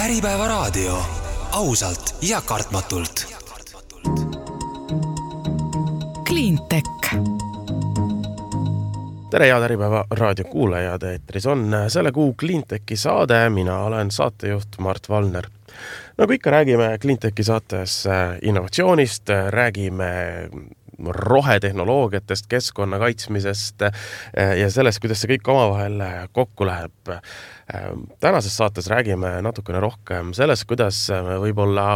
Äripäeva raadio. Ausalt ja kartmatult. Cleantech. Tere head Äripäeva raadio kuulajad, eetris on selle kuu Cleantechi saade, mina olen saatejuht Mart Valner. Nagu ikka räägime Cleantechi saates innovatsioonist, räägime rohetehnoloogiatest, keskkonna kaitsmisest ja sellest, kuidas see kõik omavahel kokku läheb. Tänases saates räägime natukene rohkem sellest, kuidas võib-olla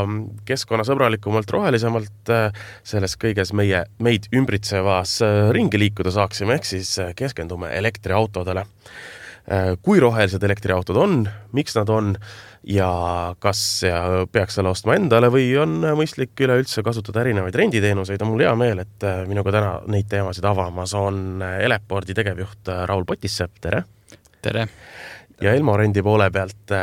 keskkonnasõbralikumalt, rohelisemalt selles kõiges meid ümbritsevas ringi liikuda saaksime, ehk siis keskendume elektriautodele. Kui rohelised elektriautod on, miks nad on ja kas peaks selle ostma endale või on mõistlik üleüldse kasutada erinevaid renditeenuseid, on mul hea meel, et minuga täna neid teemasid avamas on Eleporti tegevjuht Raul Potissepp, tere! Tere! Ja Elmo rendi poole pealt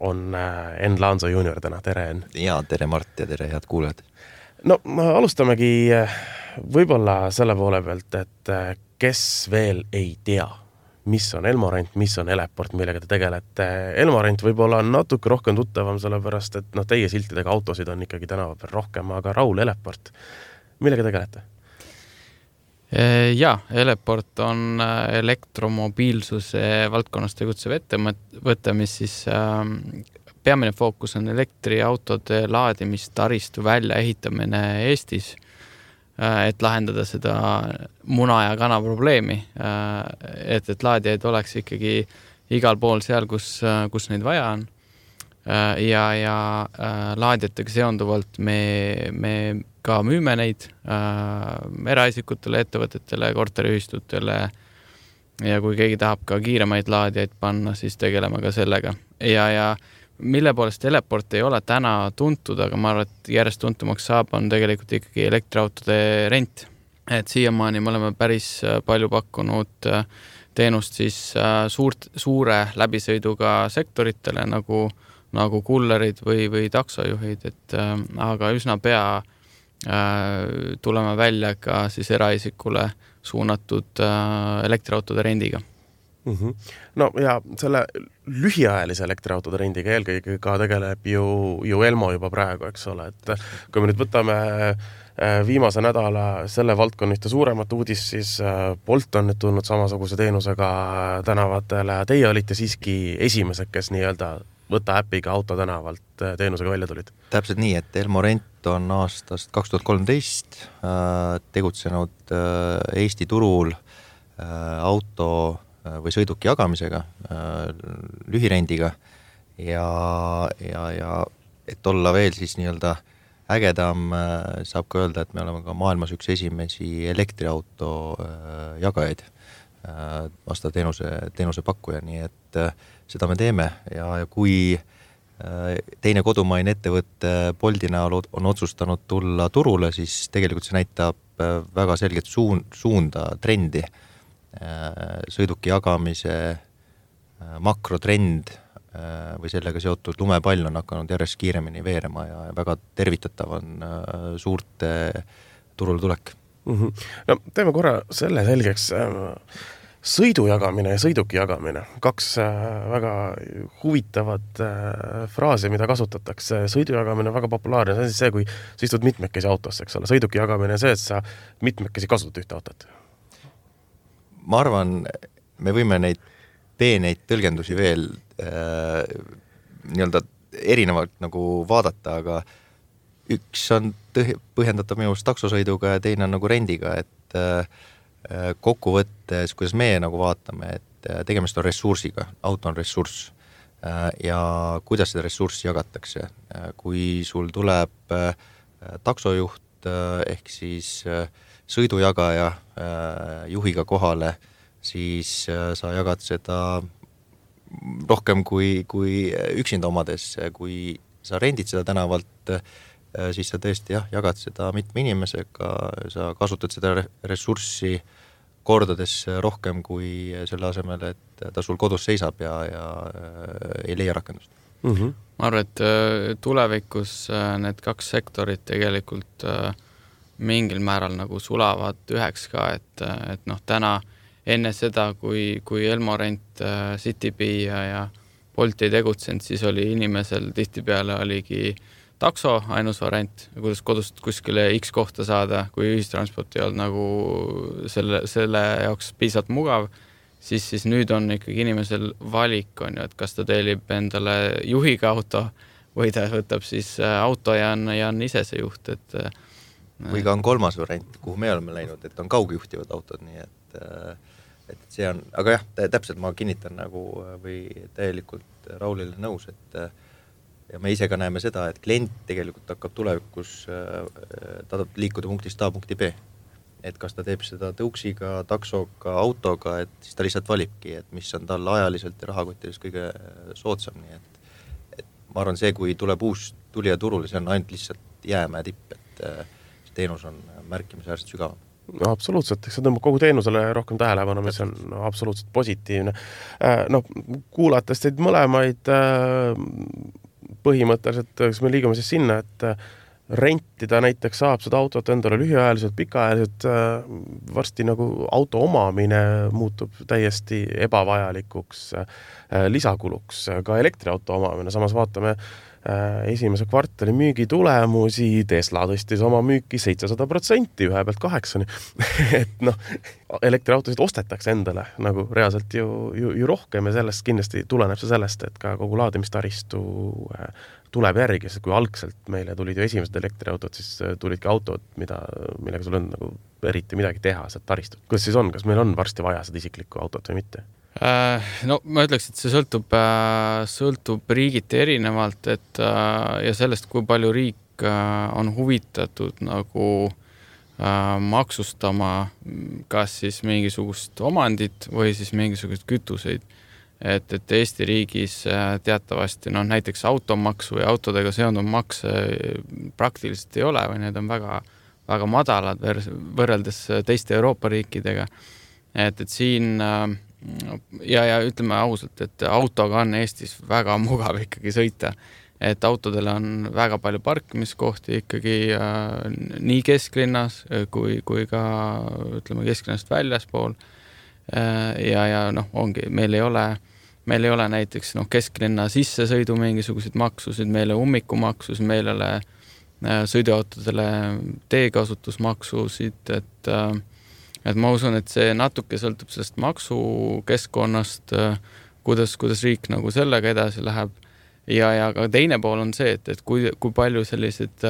on Enn Laanso junior täna, tere Enn! Ja tere Mart ja tere head kuulajad! No alustamegi võib-olla selle poole pealt, et kes veel ei tea, mis on Elmorent, mis on Eleport, millega te tegelete. Elmorent võib-olla on natuke rohkem tuttavam, sellepärast, et teie siltidega autosid on ikkagi tänava peal rohkem, aga Raul, Eleport, millega tegelete? Ja, Eleport on elektromobiilsuse valdkonnas tegutsev ettevõte, mis siis peamine fookus on elektriautode laadimistaristu välja ehitamine Eestis, et lahendada seda muna ja kana probleemi, et laadijaid oleks ikkagi igal pool seal, kus neid vaja on. Ja laadijatega seonduvalt me ka müüme neid eraisikutele, ettevõtetele, korteriühistutele ja kui keegi tahab ka kiiremaid laadijaid panna, siis tegeleme ka sellega. Ja mille poolest Eleport ei ole täna tuntud, aga ma arvan, et järjest tuntumaks saab, on tegelikult ikkagi elektriautode rent. Et siiamaani me oleme päris palju pakkunud teenust siis suure läbisõiduga sektoritele nagu kullerid või taksojuhid, aga üsna pea tuleme välja ka siis eraisikule suunatud elektriautode rendiga. No ja selle lühiajalise elektriautode rendiga eelkõige ka tegeleb ju Elmo juba praegu, eks ole, et kui me nüüd võtame viimase nädala selle valdkonna ühte suuremat uudist, siis Bolt on nüüd tulnud samasuguse teenusega tänavatele. Teie olite siiski esimesed, kes nii-öelda võta äpiga auto tänavalt teenusega välja tulid. Täpselt nii, et Elmorent on aastast 2013 tegutsenud Eesti turul auto või sõiduki jagamisega, lühirendiga ja et olla veel siis nii-öelda ägedam, saab ka öelda, et me oleme ka maailmas üks esimesi elektriauto jagajaid vastav teenuse pakkuja, nii et seda me teeme ja kui teine kodumaine ettevõtte Bolti näol on otsustanud tulla turule, siis tegelikult see näitab väga selget suunda, trendi. Sõiduki jagamise makrotrend või sellega seotud lumepall on hakanud järjest kiiremini veerema ja väga tervitatav on suurte turule tulek. No, teeme korra selle selgeks. Sõidu jagamine ja sõiduki jagamine. Kaks väga huvitavat fraasi, mida kasutatakse. Sõidu jagamine on väga populaarne. See on siis see, kui sa istud mitmekesi autosse, eks ole. Sõiduki jagamine on see, et sa mitmekesi kasutad ühte autot. Ma arvan, me võime neid peeneid tõlgendusi veel nii-öelda erinevalt nagu vaadata, aga üks on põhjendatav minu taksosõiduga ja teine on nagu rendiga, et kokkuvõttes, kuidas meie nagu vaatame, et tegemist on ressursiga, auto on ressurss ja kuidas seda ressurssi jagatakse. Kui sul tuleb taksojuht ehk siis sõidujagaja juhiga kohale, siis sa jagad seda rohkem kui üksinda omades. Kui sa rendid seda tänavalt, siis sa tõesti jagad seda mitme inimesega, sa kasutad seda ressurssi kordades rohkem kui selle asemel, et ta sul kodus seisab ja ei leia rakendust. Ma arvan, et tulevikus need kaks sektorit tegelikult mingil määral nagu sulavad üheks ka, et täna enne seda, kui Elmorent, Citybee ja Bolt ei tegutsenud, siis oli inimesel tihtipeale oligi takso ainus variant, kuidas kodust kuskile X kohta saada, kui ühistransport ei olnud nagu selle jaoks piisavalt mugav, siis nüüd on ikkagi inimesel valik, on ju, et kas ta tellib endale juhiga auto või ta võtab siis auto ja on ise see juht, et või ka on kolmas variant, kuhu me oleme läinud, et on kaugjuhtivad autod, nii et see on, aga jah, täpselt ma kinnitan nagu või täielikult Raulile nõus, et ja me ise ka näeme seda, et klient tegelikult hakkab tulevikus, ta tahab liikuda punktist A punkti B. Et kas ta teeb seda tõuksiga, taksoga, autoga, et siis ta lihtsalt valibki, et mis on tal ajaliselt ja rahakotiliselt kõige soodsam. Nii et ma arvan, see, kui tuleb uus tulija turule, see on ainult lihtsalt jäämäe tipp, et see teenus on märkimisväärselt sügavam. No, absoluutselt, eks see tõmbab kogu teenusele rohkem tähelepanu, mis on absoluutselt positiivne. Kuulates teid mõlemaid põhimõtteliselt, kas me liigume siis sinna, et rentida näiteks saab seda autot endale lühiajaliselt, pikaajaliselt, varsti nagu auto omamine muutub täiesti ebavajalikuks lisakuluks, ka elektriauto omamine, samas vaatame esimese kvartali müügitulemusi, Tesla tõstis oma müüki 700%, ühe pealt 8%. Et elektriautosid ostetakse endale nagu reaalselt ju rohkem ja sellest kindlasti tuleneb see sellest, et ka kogu laadimistaristu tuleb järgi, sest kui algselt meile tulid ju esimesed elektriautod, siis tulidki autod, millega sul on nagu eriti midagi teha, see taristut. Kuidas siis on, kas meil on varsti vaja seda isiklikku autot või mitte? No ma ütleks, et see sõltub riigiti erinevalt, et ja sellest, kui palju riik on huvitatud nagu maksustama kas siis mingisugust omandit või siis mingisugust kütuseid. Et Eesti riigis teatavasti näiteks automaks või autodega seonduv maks praktiliselt ei ole või need on väga, väga madalad võrreldes teiste Euroopa riikidega. Et siin ja ütleme ausalt, et autoga on Eestis väga mugav ikkagi sõita, et autodele on väga palju parkimiskohti ikkagi nii kesklinnas kui ka ütleme kesklinnast väljaspool ja ongi, meil ei ole näiteks kesklinna sissesõidu mingisuguseid maksusid, meil ei ole ummikumaksusid, meil ei ole sõiduautodele teekasutusmaksusid, et ma usun, et see natuke sõltub sellest maksukeskkonnast, kuidas riik nagu sellega edasi läheb. Ja ka teine pool on see, et kui palju sellised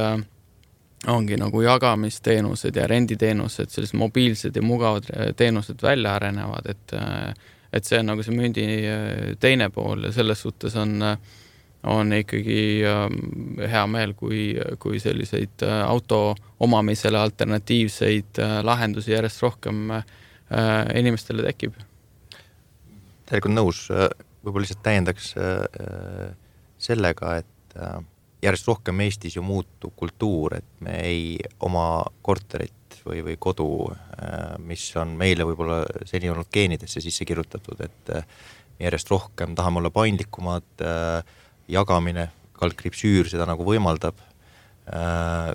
ongi nagu jagamisteenused ja renditeenused, sellised mobiilsed ja mugavad teenused välja arenevad, et see on nagu see mündi teine pool ja selles suhtes on ikkagi hea meel, kui selliseid auto omamisele alternatiivseid lahendusi järjest rohkem inimestele tekib. Tegelikult nõus, võib-olla lihtsalt täiendaks sellega, et järjest rohkem Eestis ju muutub kultuur, et me ei oma korterit või kodu, mis on meile võib-olla seni olnud geenidesse sisse kirjutatud, et järjest rohkem tahame olla paindlikumad, jagamine, kaldkriipsüür seda nagu võimaldab.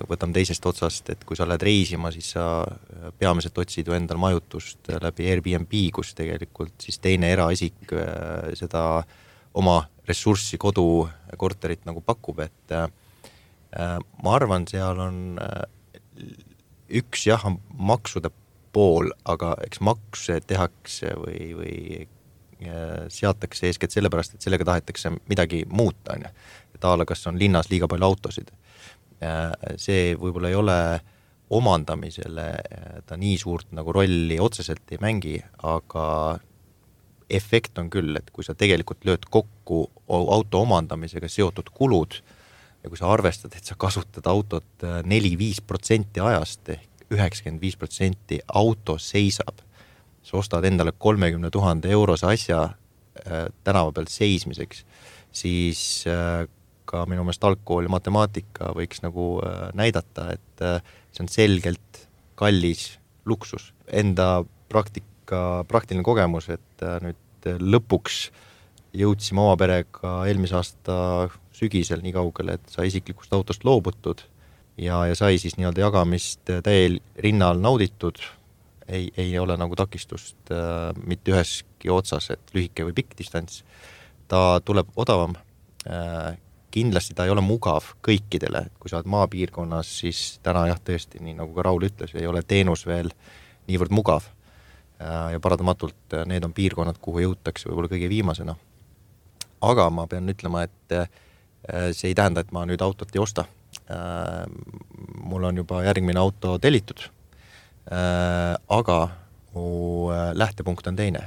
Võtame teisest otsast, et kui sa lähed reisima, siis sa peamiselt otsid ju endal majutust läbi Airbnb, kus tegelikult siis teine eraisik seda oma ressurssi kodu korterit nagu pakub, et ma arvan, seal on üks maksude pool, aga eks makse tehakse või seatakse eeskätt sellepärast, et sellega tahetakse midagi muuta, et ala, kas on linnas liiga palju autosid. See võib-olla ei ole omandamisele, ta nii suurt nagu rolli otseselt ei mängi, aga efekt on küll, et kui sa tegelikult lööd kokku auto omandamisega seotud kulud ja kui sa arvestad, et sa kasutad autot 4-5% ajast ehk 95% auto seisab, sa ostad endale 30 000 eurose asja tänava pealt seismiseks, siis ka minu meelest algkool ja matemaatika võiks nagu näidata, et see on selgelt kallis luksus. Enda praktiline kogemus, et nüüd lõpuks jõudsime oma perega eelmise aasta sügisel nii kaugele, et sai isiklikust autost loobutud ja sai siis nii-öelda jagamist täiel rinnal nauditud. Ei ole nagu takistust mitte üheski otsas, et lühike või pikk distants. ta tuleb odavam, kindlasti ta ei ole mugav kõikidele, et kui sa oled maapiirkonnas, siis täna jah, tõesti, nii nagu ka Raul ütles, ei ole teenus veel niivõrd mugav ja paratamatult need on piirkonnad, kuhu jõutakse võib-olla kõige viimasena. Aga ma pean ütlema, et see ei tähenda, et ma nüüd autot ei osta. Mul on juba järgmine auto tellitud, aga mu lähtepunkt on teine.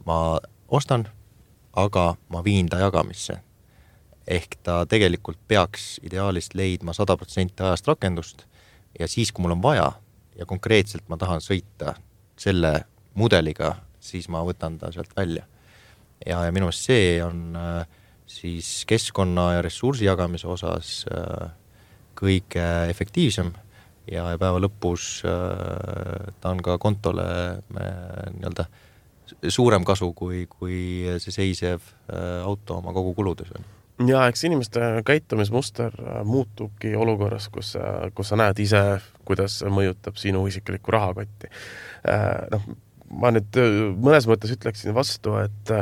Ma ostan, aga ma viin ta jagamisse. Ehk ta tegelikult peaks ideaalist leidma 100% ajast rakendust ja siis, kui mul on vaja ja konkreetselt ma tahan sõita selle mudeliga, siis ma võtan ta sealt välja. Ja minu meelest see on siis keskkonna ja ressursi jagamise osas kõige efektiivsem ja päeva lõpus ta on ka kontole nii-öelda suurem kasu, kui see seisev auto oma kogu kuludes on. Ja eks inimeste käitumismuster muutubki olukorras, kus sa näed ise, kuidas mõjutab sinu isiklikku rahakotti. Ma nüüd mõnes mõttes ütleksin vastu, et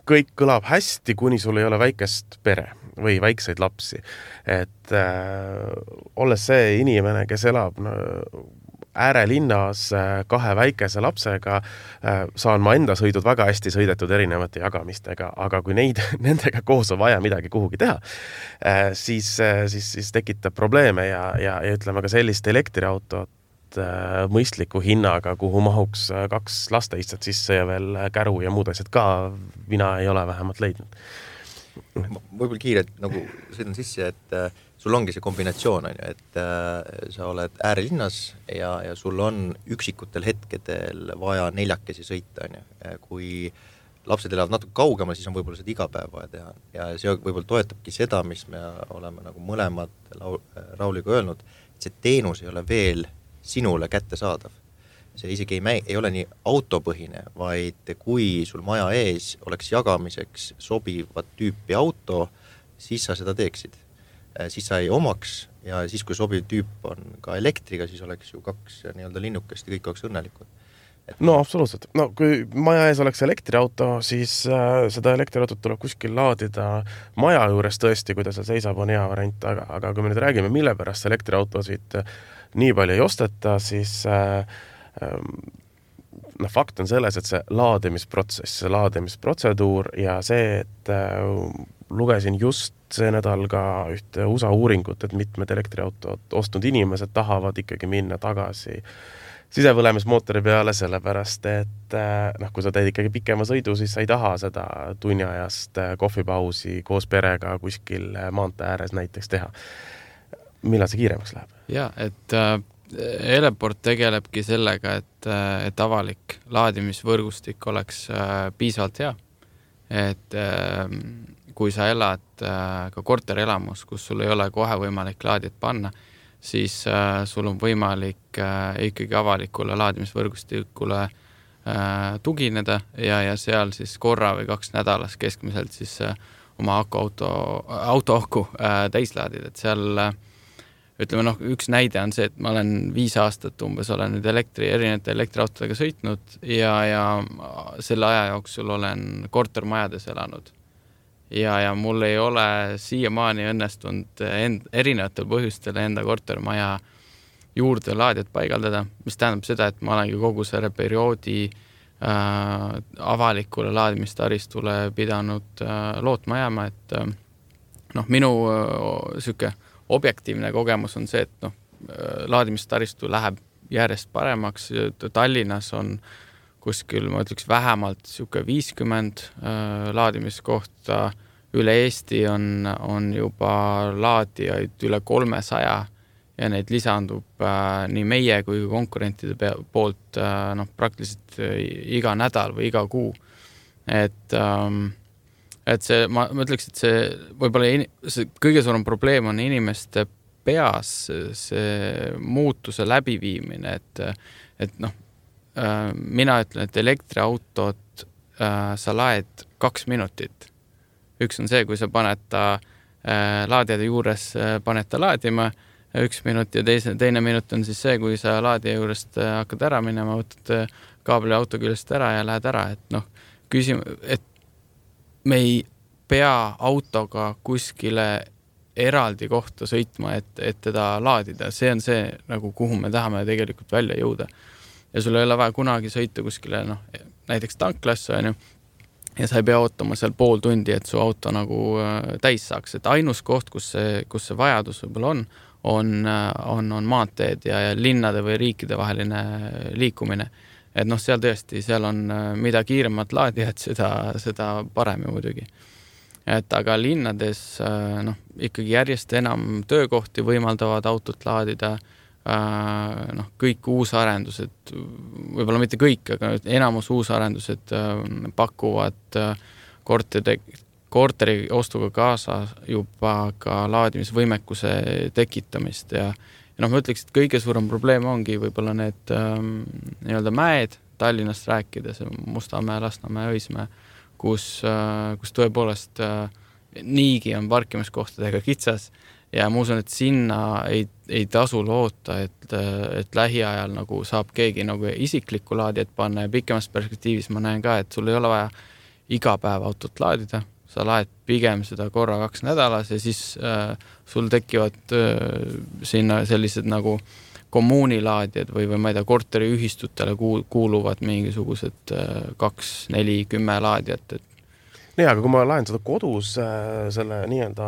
kõik kõlab hästi, kuni sul ei ole väikest pere või väikseid lapsi. Et olles see inimene, kes elab äärelinnas 2 väikese lapsega, saan ma enda sõidud väga hästi sõidetud erinevate jagamistega, aga kui nendega koos on vaja midagi kuhugi teha, siis tekitab probleeme ja ütleme ka sellist elektriautot mõistliku hinnaga, kuhu mahuks 2 lasteistat sisse ja veel käru ja muud asjad ka mina ei ole vähemalt leidnud. Võib-olla kiirelt nagu sõidan sisse, et sul ongi see kombinatsioon, et sa oled äärelinnas ja sul on üksikutel hetkedel vaja 4 sõita. Kui lapsed elavad natuke kaugemal, siis on võib-olla seda iga päev vaja teha. Ja see võib-olla toetabki seda, mis me oleme nagu mõlemad Rauliga öelnud, et see teenus ei ole veel sinule kättesaadav. See isegi ei ole nii autopõhine, vaid kui sul maja ees oleks jagamiseks sobivat tüüpi auto, siis sa seda teeksid. Siis sa ei omaks ja siis, kui sobiv tüüp on ka elektriga, siis oleks ju 2 nii-öelda linnukest ja kõik oleks õnnelikud. No absoluutselt. No kui maja ees oleks elektriauto, siis seda elektriautot tuleb kuskil laadida maja juures tõesti, kui ta seal seisab, on hea variant, aga kui me nüüd räägime, mille pärast elektriautosid nii palju ei osteta, siis fakt on selles, et see laadimisprotsess, see laadimisprotseduur ja see, et lugesin just see nädal ka ühte USA uuringut, et mitmed elektriautot ostnud inimesed tahavad ikkagi minna tagasi sisepõlemismootori peale, sellepärast, et kui sa teed ikkagi pikema sõidu, siis sa ei taha seda tunniajast kohvipausi koos perega kuskil maantee ääres näiteks teha. Millal see kiiremaks läheb? Ja, et Eleport tegelebki sellega, et avalik laadimisvõrgustik oleks piisavalt hea. Et kui sa elad ka korterelamus, kus sul ei ole kohe võimalik laadijat panna, siis sul on võimalik ikkagi avalikule laadimisvõrgustikule tugineda ja seal siis korra või 2 nädalas keskmiselt siis oma autoaku täislaadid, et seal ütleme, üks näide on see, et ma olen 5 aastat umbes olen nüüd erinevate elektriautodega sõitnud ja selle aja jooksul olen kortermajades elanud. Ja mul ei ole siiamaani õnnestunud erinevatel põhjustel enda kortermaja juurde laadijat paigaldada, mis tähendab seda, et ma olengi kogu selle perioodi avalikule laadimistaristule pidanud lootma jääma, et minu süke objektiivne kogemus on see, et laadimistaristu läheb järjest paremaks. Tallinnas on kuskil, ma ütleks, vähemalt 50 laadimiskohta. Üle Eesti on juba laadijaid üle 300 ja neid lisandub nii meie kui konkurentide poolt praktiliselt iga nädal või iga kuu. Et see, ma ütleks, et see võib-olla see kõige suurem probleem on inimeste peas see muutuse läbiviimine, et mina ütlen, et elektriautot sa laed 2 minutit. Üks on see, kui sa paned ta laadijade juures paned ta laadima 1 minut ja teine minut on siis see, kui sa laadija juurest hakkad ära minema, võtad kaabli auto küljest ära ja lähed ära, et et me ei pea autoga kuskile eraldi kohta sõitma, et teda laadida. See on see, nagu kuhu me tahame tegelikult välja jõuda. Ja sul ei ole vaja kunagi sõita kuskile, näiteks tanklasse, ja sa ei pea ootama seal pool tundi, et su auto nagu täis saaks. Et ainus koht, kus see vajadus võib-olla on maanteed ja linnade või riikide vaheline liikumine. Et seal tõesti, seal on mida kiiremad laadijad, seda parem ju muidugi. Et aga linnades ikkagi järjest enam töökohti võimaldavad autot laadida, kõik uusarendused, võib-olla mitte kõik, aga enamus uusarendused pakuvad korteri ostuga kaasa juba ka laadimisvõimekuse tekitamist ja ma ütleks, et kõige suurem probleem ongi võib-olla need nii-öelda mäed, Tallinnast rääkides, Mustamäe, Lasnamäe, Õismäe, kus tõepoolest niigi on parkimiskohtadega kitsas ja ma usun, et sinna ei tasu loota, et lähiajal nagu saab keegi nagu isiklikku laadijat panna ja pikemas perspektiivis ma näen ka, et sul ei ole vaja iga päev autot laadida, sa laed pigem seda korra 2 nädalas ja siis sul tekivad sinna sellised nagu kommuunilaadijad või ma ei tea, korteriühistutele kuuluvad mingisugused 2, 4, 10 laadijat. Nii, aga kui ma laen seda kodus selle nii-öelda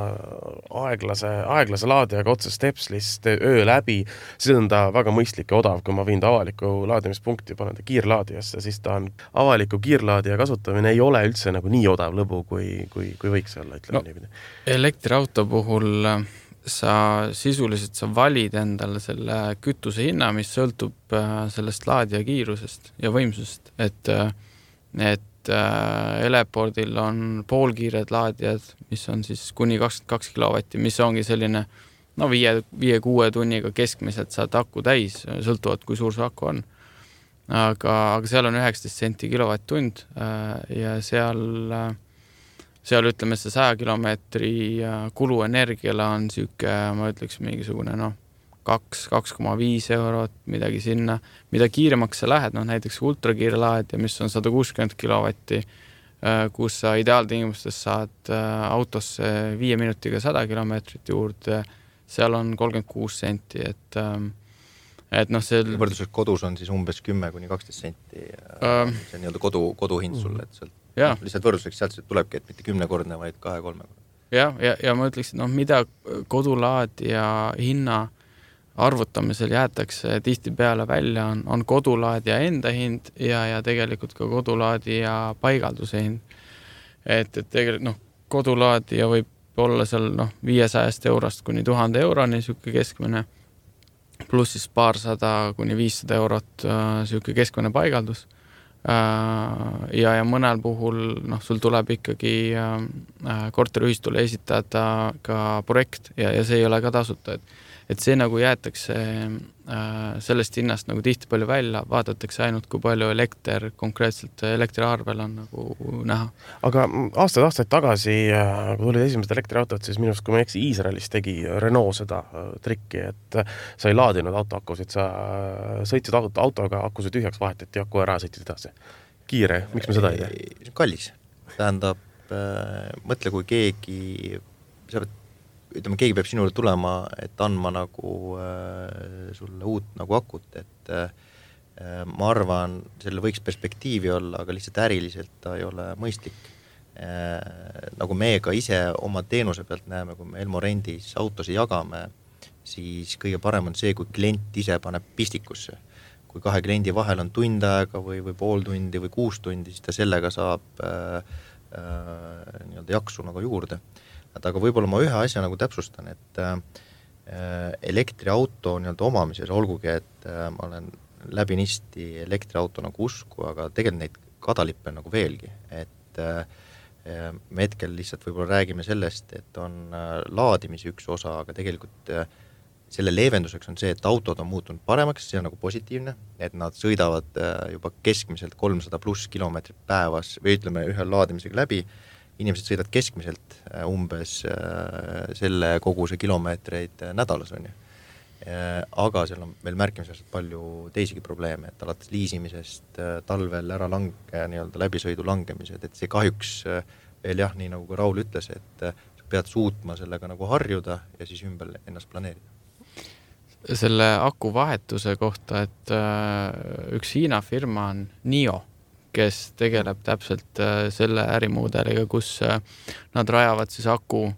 aeglase laadijaga otse stepslist öö läbi, siis on ta väga mõistlik ja odav, kui ma viin ta avaliku laadimispunkti, panen ta kiirlaadijasse, siis ta on avaliku kiirlaadija kasutamine ei ole üldse nagu nii odav lõbu, kui võiks olla, ütleme niipidi. Elektriauto puhul sa sisuliselt valid endale selle kütuse hinna, mis sõltub sellest laadija kiirusest ja võimsusest, et Elepordil on poolkiired laadijad, mis on siis kuni 22 kilovatti, mis ongi selline 5-6 tunniga keskmiselt saad aku täis, sõltuvad kui suur su aku on. Aga seal on 19 senti kilovatt-tund ja seal ütleme see 100 kilomeetri kulu energiale on süüke, ma ütleks mingisugune 2,5 eurot, midagi sinna. Mida kiiremaks sa lähed, näiteks ultrakiire laadija, mis on 160 kilovatti, kus sa ideaaltingimustes saad autosse 5 minutiga 100 kilomeetrit juurde, seal on 36 senti, et see... Võrdluseks kodus on siis umbes 10-12 senti see nii-öelda koduhind sulle, et sealt lihtsalt võrdluseks sealt tulebki, et mitte 10-kordne, vaid 2-3-kordne. Ja ma ütleks, mida kodulaadija hinna arvutamisel jäetakse tihti peale välja, on kodulaadija enda hind ja tegelikult ka kodulaadija paigalduse hind. Et tegelikult kodulaadija võib olla seal 500 eurost kuni 1000 euroni süüke keskmine, pluss siis 200 kuni 500 eurot süüke keskmine paigaldus. Ja mõnel puhul sul tuleb ikkagi korteriühistule esitada ka projekt ja see ei ole ka tasuta, et see nagu jäetakse sellest hinnast nagu tihti palju välja, vaadatakse ainult, kui palju konkreetselt elektriarvel on nagu näha. Aga aastaid tagasi, kui tulid esimesed elektriautod, siis minust, kui ma eksi, Iisraelis tegi Renault seda trikki, et sa ei laadinud autoakusid, sa sõitsid autoga, akusid tühjaks, vahetati aku ära, sõitsid edasi. Kiire, miks me seda ei tee? Kallis. Tähendab, mõtle, kui keegi keegi peab sinule tulema, et andma nagu sulle uut nagu akut, et ma arvan, selle võiks perspektiivi olla, aga lihtsalt äriliselt ta ei ole mõistlik. Nagu me ka ise oma teenuse pealt näeme, kui me Elmorendis autosi jagame, siis kõige parem on see, kui klient ise paneb pistikusse. Kui 2 kliendi vahel on tund aega või pool tundi või 6 tundi, siis ta sellega saab nii-öelda jaksu nagu juurde. Aga võib-olla ma ühe asja nagu täpsustan, et elektriauto nii-öelda omamises, olgugi, et ma olen läbinisti elektriauto nagu usku, aga tegelikult neid kadalippe on nagu veelgi, et me hetkel lihtsalt võib-olla räägime sellest, et on laadimise üks osa, aga tegelikult selle leevenduseks on see, et autod on muutunud paremaks, see on nagu positiivne, et nad sõidavad juba keskmiselt 300 pluss kilomeetrit päevas või ütleme ühe laadimisega läbi. Inimesed sõidavad keskmiselt umbes selle koguse kilomeetreid nädalas on ju. aga seal on veel märkimisväärselt palju teisigi probleeme, et alates liisimisest, talvel ära nii-öelda läbisõidu langemised, et see kahjuks veel jah, nii nagu ka Raul ütles, et sa pead suutma sellega nagu harjuda ja siis ümber ennast planeerida. Selle aku vahetuse kohta, et üks Hiina firma on NIO, kes tegeleb täpselt selle ärimudeliga, kus nad rajavad siis aku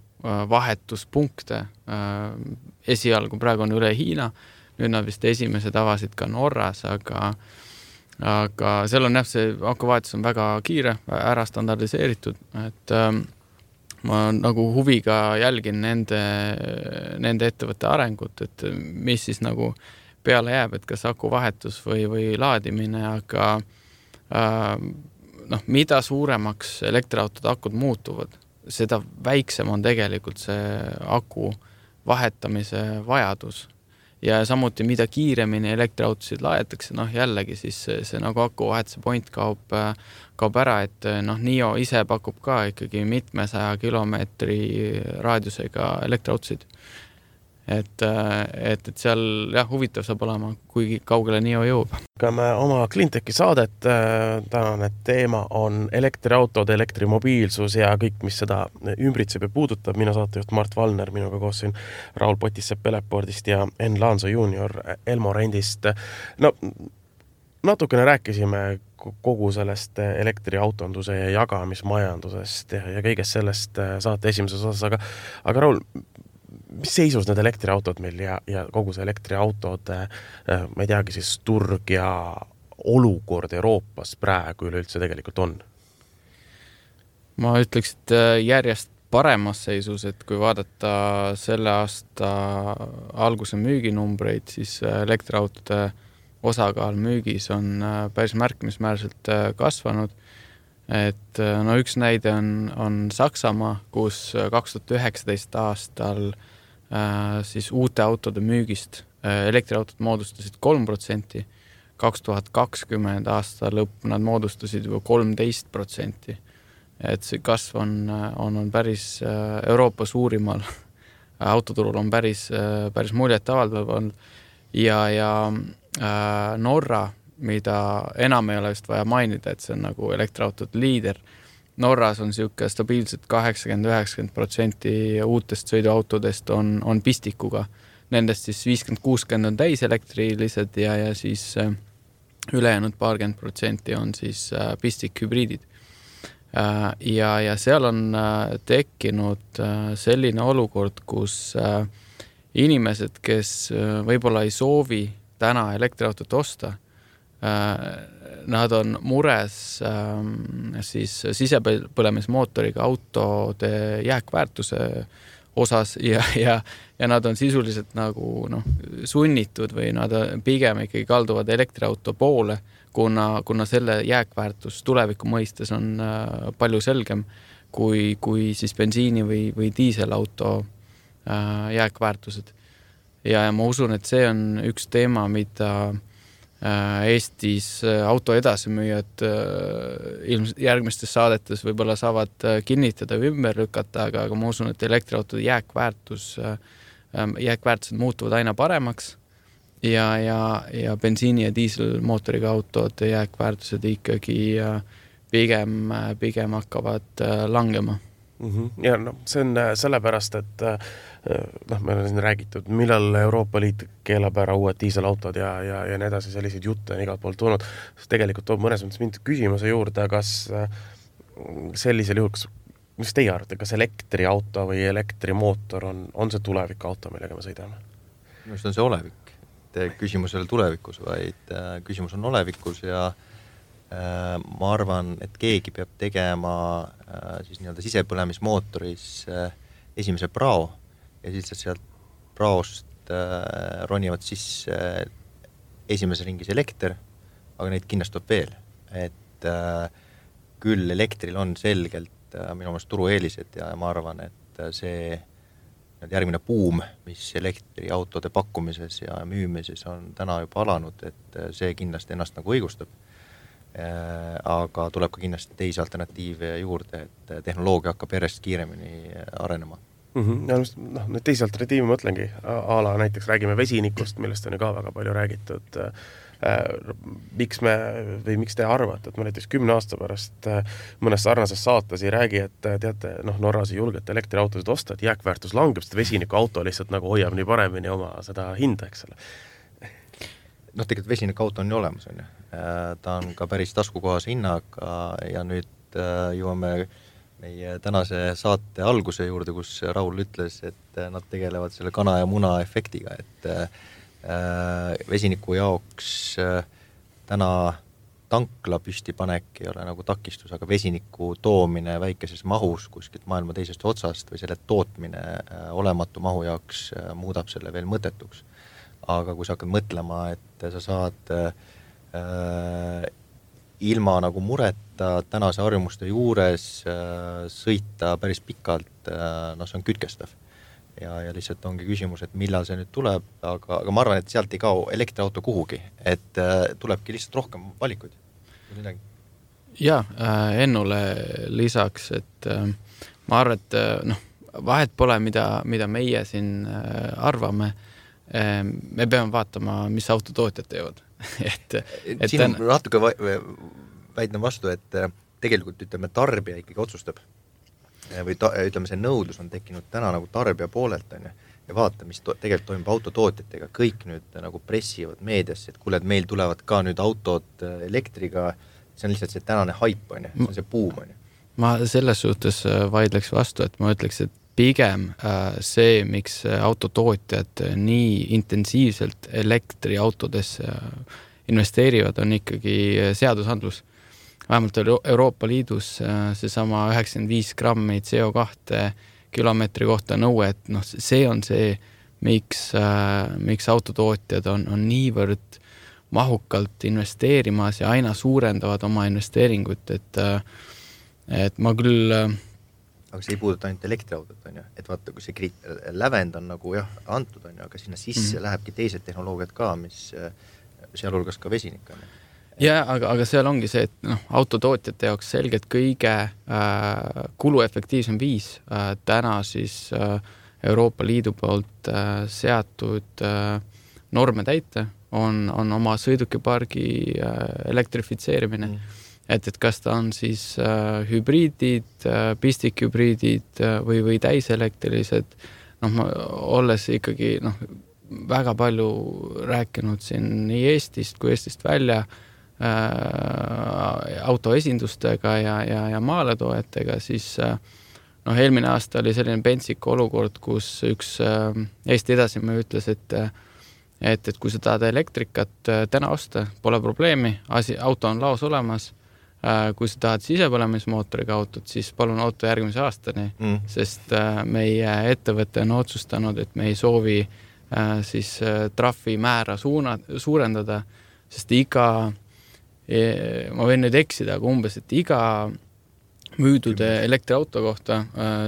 vahetuspunkte. Esialgu praegu on üle Hiina, nüüd nad vist esimesed avasid ka Norras, aga seal on jah, see aku vahetus on väga kiire, ära standardiseeritud, et ma nagu huviga jälgin nende ettevõtte arengut, et mis siis nagu peale jääb, et kas aku vahetus või laadimine, aga mida suuremaks elektriautode akud muutuvad, seda väiksem on tegelikult see aku vahetamise vajadus. Ja samuti, mida kiiremini elektriautosid laetakse, jällegi siis see nagu aku vahetuse point kaob ära, et NIO ise pakub ka ikkagi mitmesaja kilomeetri raadiusega elektriautosid. Et seal jah, huvitav saab olema, kui kaugele NIO jõuab. Me oma Cleanteki saadet, tänane teema on elektriautod, elektrimobiilsus ja kõik, mis seda ümbritseb ja puudutab. Minu saatejuht Mart Valner, minuga koos siin Raul Potissepp Elepordist ja Enn Laanso junior Elmo Rendist. Natukene rääkisime kogu sellest elektriautonduse ja jagamismajandusest ja kõigest sellest saate esimeses osas, aga Raul, mis seisus need elektriautod meil ja kogu see elektriautode, ma ei teagi siis turg ja olukord Euroopas praegu üleüldse tegelikult on? Ma ütleks, et järjest paremas seisus, et kui vaadata selle aasta alguse müüginumbreid, siis elektriautode osakaal müügis on päris märkimisväärselt kasvanud. Et üks näide on Saksamaa, kus 2019 aastal siis uute autode müügist elektriautod moodustasid 3%, 2020 aasta lõpp nad moodustasid juba 13%. Et see kasv on päris Euroopa suurimal autoturul on päris muljet avaldav ja Norra, mida enam ei ole vist vaja mainida, et see on nagu elektriautode liider. Norras on siuke stabiilselt 80-90% uutest sõiduautodest on pistikuga. Nendest siis 50-60% on täiselektrilised ja siis ülejäänud 20% on siis pistikhübriidid. Ja seal on tekkinud selline olukord, kus inimesed, kes võib-olla ei soovi täna elektriautot osta, nad on mures siis sisepõlemismootoriga autode jääkväärtuse osas ja nad on sisuliselt nagu sunnitud või nad pigem ikkagi kalduvad elektriauto poole, kuna selle jääkväärtus tuleviku mõistes on palju selgem kui siis bensiini või diiselauto jääkväärtused. Ja ma usun, et see on üks teema, mida Eestis auto edasimüüjad ilmselt järgmistes saadetes võib-olla saavad kinnitada või ümber lükata, aga ma usun, et elektriautode jääkväärtused muutuvad aina paremaks ja bensiini- ja diiselmootoriga autode jääkväärtused ikkagi pigem hakkavad langema. Ja see on sellepärast, et me oleme siin räägitud, millal Euroopa Liit keelab ära uued diiselautod ja nii edasi, selliseid jutte on igalt poolt tulnud. Tegelikult toob mõnes mõttes mind küsimuse juurde, kas sellisel juhul, mis teie arvate, kas elektriauto või elektrimootor on see tulevikauto, millega me sõidame? Minu arust on see olevik. Küsimus ei ole tulevikus, vaid küsimus on olevikus ja ma arvan, et keegi peab tegema siis nii-öelda sisepõlemismootoris esimese prao ja siis sealt praost ronivad sisse esimeses ringis elekter, aga neid kindlastub veel. Et küll elektril on selgelt minu meelest turueelised ja ma arvan, et see järgmine buum, mis elektriautode pakkumises ja müümises on täna juba alanud, et see kindlasti ennast nagu õigustab. Aga tuleb ka kindlasti teisi alternatiive juurde, et tehnoloogia hakkab järjest kiiremini arenema. Ja nüüd teisi alternatiivi mõtlengi, a la näiteks räägime vesinikust, millest on ju ka väga palju räägitud. Miks te arvate, et me näiteks 10 aasta pärast mõnes sarnases saates ei räägi, et teate, Norras ei julgete elektriautosid osta, et jääkväärtus langeb, sest vesinikuauto lihtsalt nagu hoiab nii paremini oma seda hinda, eks ole. Tegelikult vesinikuauto on ju olemas, on ju. Ta on ka päris taskukohase hinnaga ja nüüd jõuame meie tänase saate alguse juurde, kus Raul ütles, et nad tegelevad selle kana ja muna efektiga, et vesiniku jaoks täna tankla püstipanek ei ole nagu takistus, aga vesiniku toomine väikeses mahus kuskilt maailma teisest otsast või selle tootmine olematu mahu jaoks muudab selle veel mõttetuks. Aga kui sa hakkad mõtlema, et sa saad ilma nagu mureta tänase harjumuste juures sõita päris pikalt, see on kütkestav. Ja lihtsalt ongi küsimus, et millal see nüüd tuleb, aga ma arvan, et sealt ei kao elektriauto kuhugi, et tulebki lihtsalt rohkem valikuid. Ja, Ennule lisaks, et ma arvan, et vahet pole, mida meie siin arvame, me peame vaatama, mis autotootjad teevad. Siin on natuke väidne vastu, et tegelikult ütleme tarbija ikkagi otsustab või ütleme see nõudlus on tekkinud täna nagu tarbija poolelt on ja vaata, mis tegelikult toimub autotootjatega, kõik nüüd nagu pressivad meediasse, et kuule, et meil tulevad ka nüüd autod elektriga, see on lihtsalt see tänane haip on see on see buum on Ma selles suhtes vaidleks vastu, et ma ütleks, et pigem see, miks autotootjad nii intensiivselt elektriautodesse investeerivad, on ikkagi seadusandlus. Vähemalt Euroopa Liidus seesama 95 grammi CO2 kilomeetri kohta nõue, et see on see, miks autotootjad on niivõrd mahukalt investeerimas ja aina suurendavad oma investeeringut, et ma küll aga see ei puuduta ainult elektriautot, on ju, et vaata, kui see lävend on nagu antud, on ju, aga sinna sisse lähebki teised tehnoloogiad ka, mis sealhulgas ka vesinik on. Ja, aga seal ongi see, et autotootjate jaoks selgelt kõige kuluefektiivsem viis täna siis Euroopa Liidu poolt seatud norme täita on oma sõidukipargi elektrifitseerimine. Et kas ta on siis hübriidid, pistikhübriidid või täiselektrilised, olles ikkagi väga palju rääkinud siin nii Eestist kui Eestist välja autoesindustega ja maaletoojatega, siis eelmine aasta oli selline pentsik olukord, kus üks Eesti Edasimäe ütles, et kui sa tahad elektrikat täna osta, pole probleemi, auto on laos olemas, kui sa tahad sisepõlemismootoriga autot, siis palun auto järgmise aastani, sest meie ettevõte on otsustanud, et me ei soovi siis trahvi määra suurendada, sest ma võin nüüd eksida, aga umbes, et iga müüdud elektriauto kohta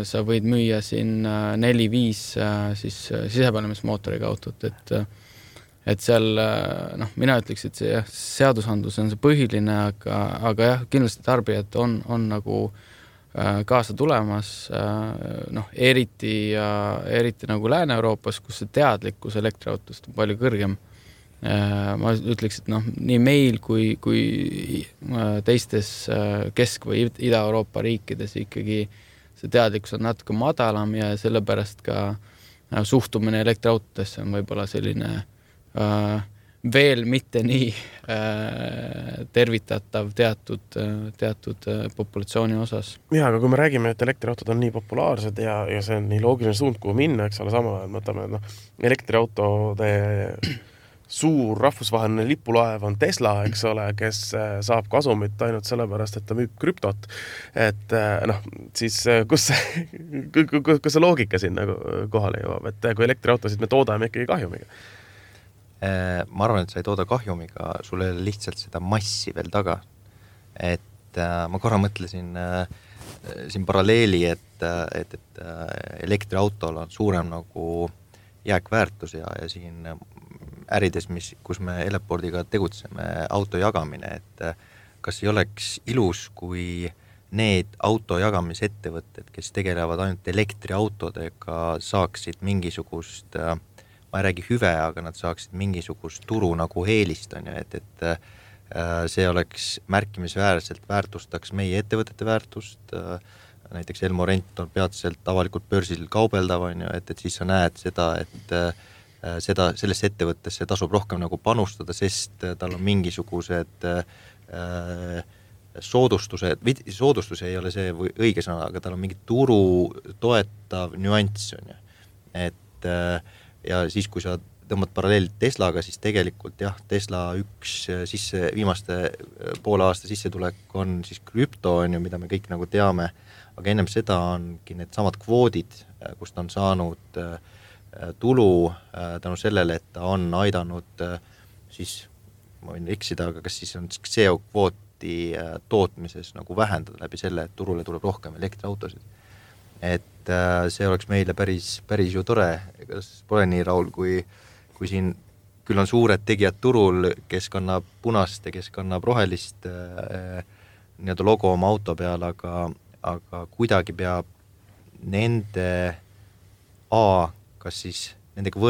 sa võid müüa siin 4-5 siis sisepõlemismootoriga autot, et seal, mina ütleks, et see seadusandlus on see põhiline, aga jah, kindlasti tarbijad on nagu kaasa tulemas, eriti nagu Lääne-Euroopas, kus see teadlikkus elektriautost on palju kõrgem. Ma ütleks, et nii meil kui teistes Kesk- või Ida-Euroopa riikides ikkagi see teadlikkus on natuke madalam ja sellepärast ka suhtumine elektriautodesse on võib-olla selline veel mitte nii tervitatav teatud populatsiooni osas. Ja, aga kui me räägime, et elektriautod on nii populaarsed ja see on nii loogiline suund, kuhu minna, eks ole, sama, et mõtleme, elektriautode suur rahvusvaheline lipulaev on Tesla, eks ole, kes saab kasumit ainult sellepärast, et ta müüb krüptot. Et siis kus see loogika siin nagu kohale jõuab, et kui elektriautosid me toodame ikkagi kahjumiga? Ma arvan, et sa ei tooda kahjumiga, sul ei ole lihtsalt seda massi veel taga. Et ma korra mõtlesin siin paralleeli, et elektriautol on suurem nagu jääkväärtus ja siin ärides, kus me Eleportiga tegutseme, auto jagamine, et kas ei oleks ilus, kui need autojagamisettevõtted, kes tegelevad ainult elektriautodega, saaksid mingisugust, ma ei räägi hüve, aga nad saaksid mingisugust turu nagu eelist, on ju, et see oleks märkimisväärselt väärtustaks meie ettevõtete väärtust, näiteks Elmorent on peatselt avalikult börsil kaubeldav, on ju, et siis sa näed seda, et sellesse ettevõttesse tasub rohkem nagu panustada, sest tal on mingisugused soodustus ei ole see õige sõna, aga tal on mingi turu toetav nüanss, on ju. Et ja siis, kui sa tõmbad paralleelid Teslaga, siis tegelikult jah, Tesla viimaste poole aasta sissetulek on siis krüpto, on ju, mida me kõik nagu teame, aga ennem seda ongi need samad kvoodid, kust on saanud tulu tänu sellele, et ta on aidanud siis, ma võin eksida, aga kas siis on CO-kvooti tootmises nagu vähendada läbi selle, et turule tuleb rohkem elektriautosid. Et see oleks meile päris ju tore, kas pole nii, Raul, kui siin küll on suured tegijad turul, kes kannab punast ja kes kannab rohelist nii-öelda logo oma auto peal, aga kuidagi peab nende kas siis nendega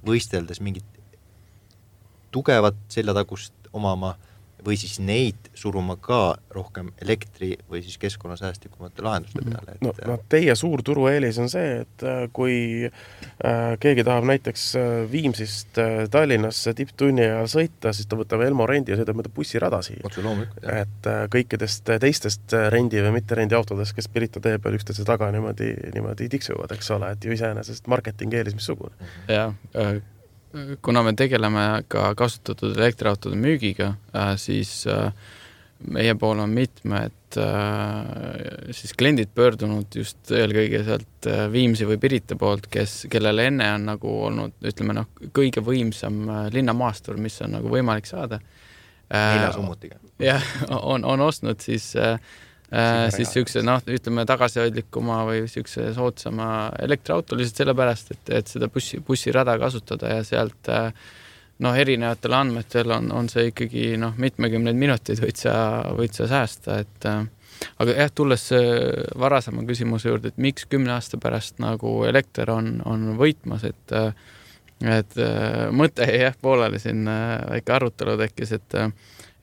võisteldes mingit tugevat seljatagust omama või siis neid suruma ka rohkem elektri või siis keskkonnasäästlikumate lahenduste peale. No, teie suur turueelis on see, et kui keegi tahab näiteks Viimsist Tallinnasse tipptunni ajal sõita, siis ta võtab Elmorendi ja sõidab mõnda bussirada siia. Et kõikidest teistest rendi või mitte rendi autodest, kes Pirita tee peal üksteise taga niimoodi tiksuvad, eks ole, et ju iseenesest marketing-eelis missugune. Jah, kuna me tegeleme ka kasutatud elektriautode müügiga, siis meie pool on mitmed siis kliendid pöördunud just eelkõige sealt Viimsi või Pirita poolt, kellele enne on nagu olnud, ütleme kõige võimsam linnamaastur, mis on nagu võimalik saada. 4 summutiga. Jah, on ostnud siis siukse, ütleme tagasihoidlikuma või siukse soodsama elektriauto lihtsalt sellepärast, et seda bussirada kasutada ja sealt erinevatel andmetel on see ikkagi mitmekümneid minuteid võid sa säästa, et aga jah, tulles varasema küsimuse juurde, et miks 10 aasta pärast nagu elekter on võitmas, et mõte jah, pooleli siin väike arutelu tekkis, et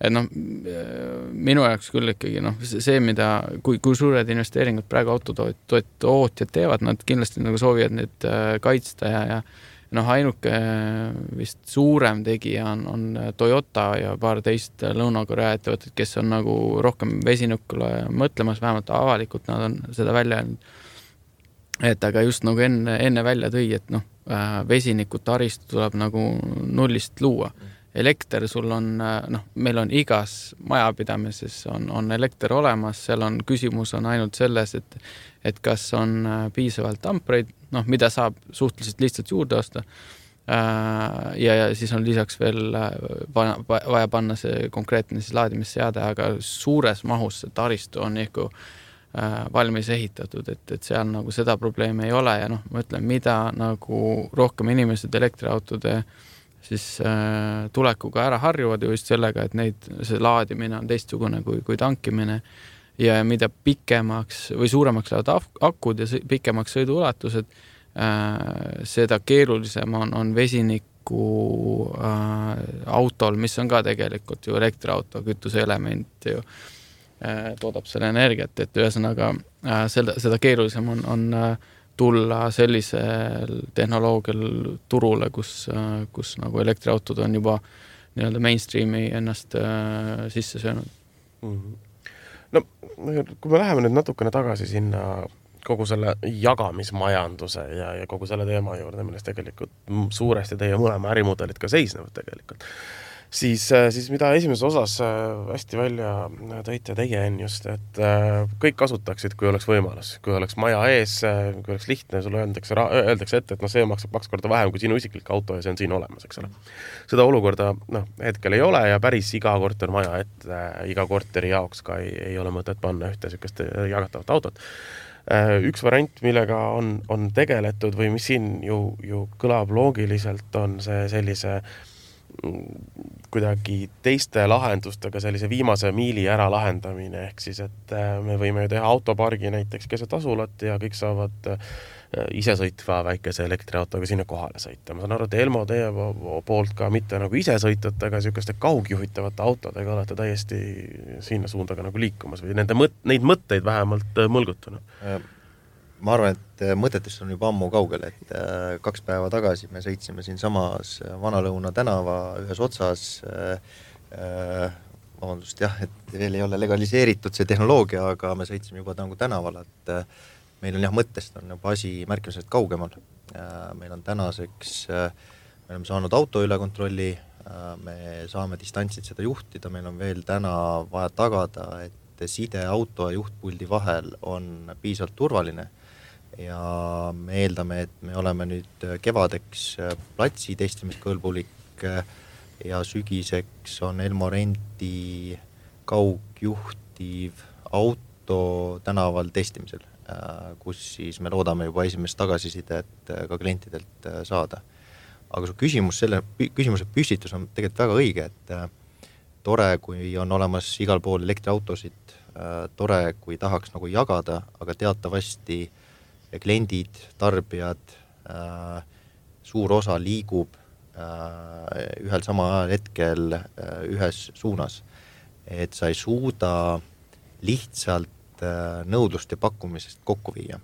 minu jaoks küll ikkagi see, mida, kui suured investeeringud praegu autotootjad teevad, nad kindlasti nagu soovivad need kaitsta ja ainuke vist suurem tegija on Toyota ja paar teist Lõuna-Korea ettevõtted, kes on nagu rohkem vesinikule mõtlemas, vähemalt avalikult nad on seda välja öelnud. Et aga just nagu enne välja tõi, et vesiniku taristu tuleb nagu nullist luua. Elekter sul on, meil on igas majapidamises on elekter olemas, seal on küsimus on ainult selles, et kas on piisavalt ampreid, mida saab suhteliselt lihtsalt juurde osta. Ja siis on lisaks veel vaja panna see konkreetne siis laadimisseade, aga suures mahus see taristu on ikka valmis ehitatud, et seal nagu seda probleemi ei ole ja ma ütlen, mida nagu rohkem inimesed elektriautode siis tulekuga ära harjuvad ju just sellega, et see laadimine on teistsugune kui tankimine ja mida pikemaks või suuremaks lähevad akud ja pikemaks sõiduulatused, seda keerulisem on vesiniku autol, mis on ka tegelikult ju elektriauto, kütuseelement ju toodab selle energiat, et ühesõnaga seda keerulisem on tulla sellisel tehnoloogial turule, kus nagu elektriautod on juba nii-öelda mainstreami ennast sisse söönud. No, kui me läheme nüüd natukene tagasi sinna kogu selle jagamismajanduse ja kogu selle teema juurde, milles tegelikult suuresti teie mõlema ärimudelid ka seisnevad tegelikult, siis mida esimeses osas hästi välja tõite teie just, et kõik kasutaksid, kui oleks võimalus, kui oleks maja ees, kui oleks lihtne, sulle öeldakse ette, et see maksab 2 korda vähem kui sinu isiklik auto ja see on siin olemas, eks ole. Seda olukorda hetkel ei ole ja päris iga kortermaja ette, iga korteri jaoks ka ei ole mõtet panna ühte sellist jagatavat autot. Üks variant, millega on tegeletud või mis siin ju kõlab loogiliselt, on see sellise kuidagi teiste lahendustega sellise viimase miili ära lahendamine, ehk siis, et me võime ju teha autopargi näiteks keset asulat ja kõik saavad isesõitva väikese elektriautoga sinna kohale sõita. Ma saan aru, et Elmo teie poolt ka mitte nagu isesõitjate, aga niisuguste kaugjuhitavate autodega olete täiesti sinna suunda ka nagu liikumas või neid mõtteid vähemalt mõlgutanud? Ma arvan, et mõtetest on juba ammu kaugel, et 2 päeva tagasi me sõitsime siin samas Vanalõuna tänava ühes otsas, vabandust jah, et veel ei ole legaliseeritud see tehnoloogia, aga me sõitsime juba tänaval, et meil on jah, mõttest on juba asi märkimisest kaugemal. Meil on tänaseks, me oleme saanud auto üle kontrolli, me saame distantsid seda juhtida, meil on veel täna vaja tagada, et side auto ja juhtpuldi vahel on piisavalt turvaline ja me eeldame, et me oleme nüüd kevadeks platsi testimiskõlbulik ja sügiseks on Elmo Renti kaugjuhtiv auto tänaval testimisel, kus siis me loodame juba esimest tagasisidet ka klientidelt saada. Aga su küsimuse püstitus on tegelikult väga õige, et tore, kui on olemas igal pool elektriautosid, tore, kui tahaks nagu jagada, aga teatavasti kliendid, tarbijad, suur osa liigub ühel sama ajal hetkel ühes suunas. Et sa ei suuda lihtsalt nõudlust ja pakkumisest kokku viia.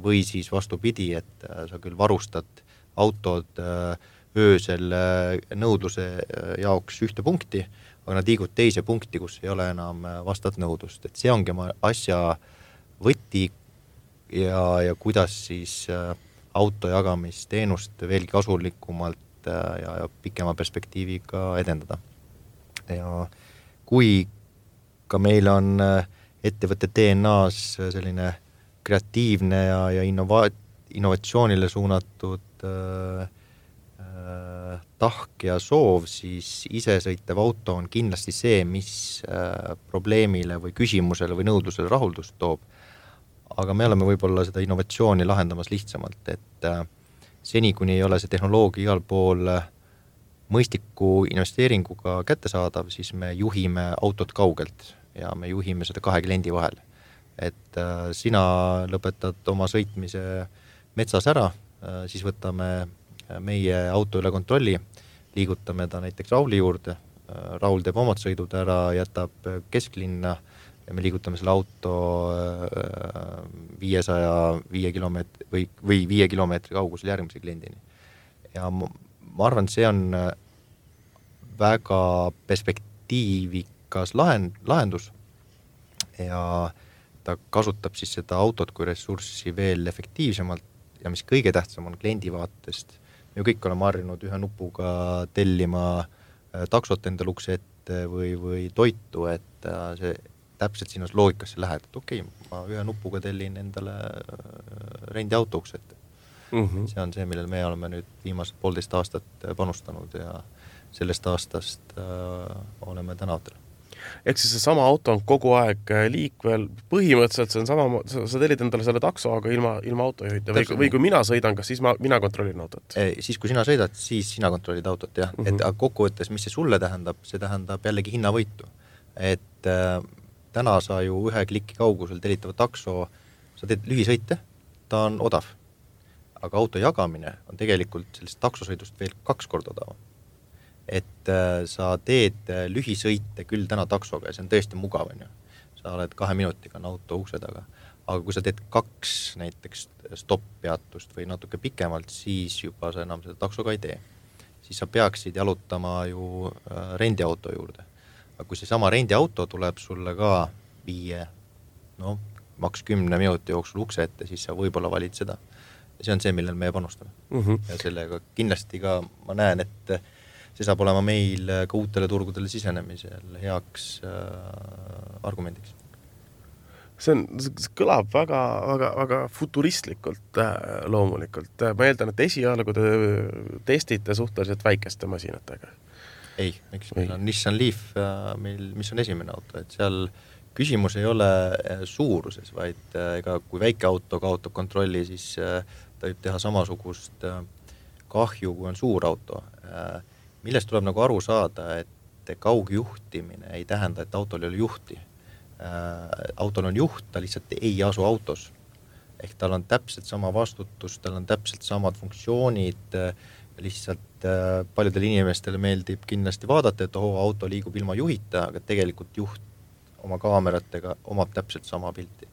Või siis vastupidi, et sa küll varustad autod öösel nõudluse jaoks ühte punkti, aga nad liigud teise punkti, kus ei ole enam vastat nõudlust. Et see ongi asja võti ja kuidas siis auto jagamisteenust veelgi kasulikumalt ja pikema perspektiiviga edendada. Ja kui ka meil on ettevõtte DNA-s selline kreatiivne ja innovatsioonile suunatud tahk ja soov, siis isesõitev auto on kindlasti see, mis probleemile või küsimusele või nõudlusele rahuldust toob. Aga me oleme võib-olla seda innovatsiooni lahendamas lihtsamalt, et seni, kuni ei ole see tehnoloogia igal pool mõistliku investeeringuga kättesaadav, siis me juhime autot kaugelt ja me juhime seda 2 kliendi vahel. Et sina lõpetad oma sõitmise metsas ära, siis võtame meie auto üle kontrolli, liigutame ta näiteks Rauli juurde, Raul teeb omad sõidud ära, jätab kesklinna ja me liigutame selle auto 505 kilomeetri või 5 kilomeetri kaugusel järgmise kliendini. Ja ma arvan, see on väga perspektiivikas lahendus ja ta kasutab siis seda autot kui ressurssi veel efektiivsemalt ja mis kõige tähtsam on kliendi vaatest. Me kõik oleme harjunud ühe nupuga tellima taksot endale ukse ette või toitu, et see täpselt sinnas loogikasse lähed, et okei, ma ühe nupuga tellin endale rendiauto ukse ette. See on see, millel me oleme nüüd viimased 1,5 aastat panustanud ja sellest aastast oleme tänavatel. Ehk siis see sama auto on kogu aeg liikvel, põhimõtteliselt see on sama, sa tellid endale selle takso, aga ilma autojuhita või kui mina sõidan, kas siis mina kontrollin autot? Siis kui sina sõidad, siis sina kontrollid autot, jah. Et kokkuvõttes, mis see sulle tähendab, see tähendab jällegi hinnavõitu. Et täna sa ju ühe kliki kaugusel tellitava takso, sa teed lühisõite, ta on odav. Aga auto jagamine on tegelikult sellest taksosõidust veel 2 korda odavam. Et sa teed lühisõite küll täna taksoga ja see on tõesti mugav. Sa oled 2 minutiga on auto ukse taga. Aga kui sa teed 2 näiteks stopp-peatust või natuke pikemalt, siis juba sa enam seda taksoga ei tee. Siis sa peaksid jalutama ju rendiauto juurde. Aga kui see sama rendiauto tuleb sulle ka 5, maks 10 minuti jooksul ukse ette, siis sa võib-olla valid seda. Ja see on see, millel me panustame. Ja sellega kindlasti ka ma näen, et see saab olema meil ka uutele turgudele sisenemisel heaks argumendiks. See kõlab väga futuristlikult loomulikult. Ma eeldan, et esialgu te testite suhteliselt väikeste masinatega. Ei, miks meil on Nissan Leaf, mis on esimene auto, et seal küsimus ei ole suuruses, vaid ega kui väike auto kaotab kontrolli, siis ta võib teha samasugust kahju, kui on suur auto. millest tuleb nagu aru saada, et kaugjuhtimine ei tähenda, et autol ei ole juhti. Autol on juht, ta lihtsalt ei asu autos. Ehk tal on täpselt sama vastutus, tal on täpselt samad funktsioonid, lihtsalt paljudel inimestele meeldib kindlasti vaadata, et auto liigub ilma juhita, aga tegelikult juht oma kaameratega omab täpselt sama pilti.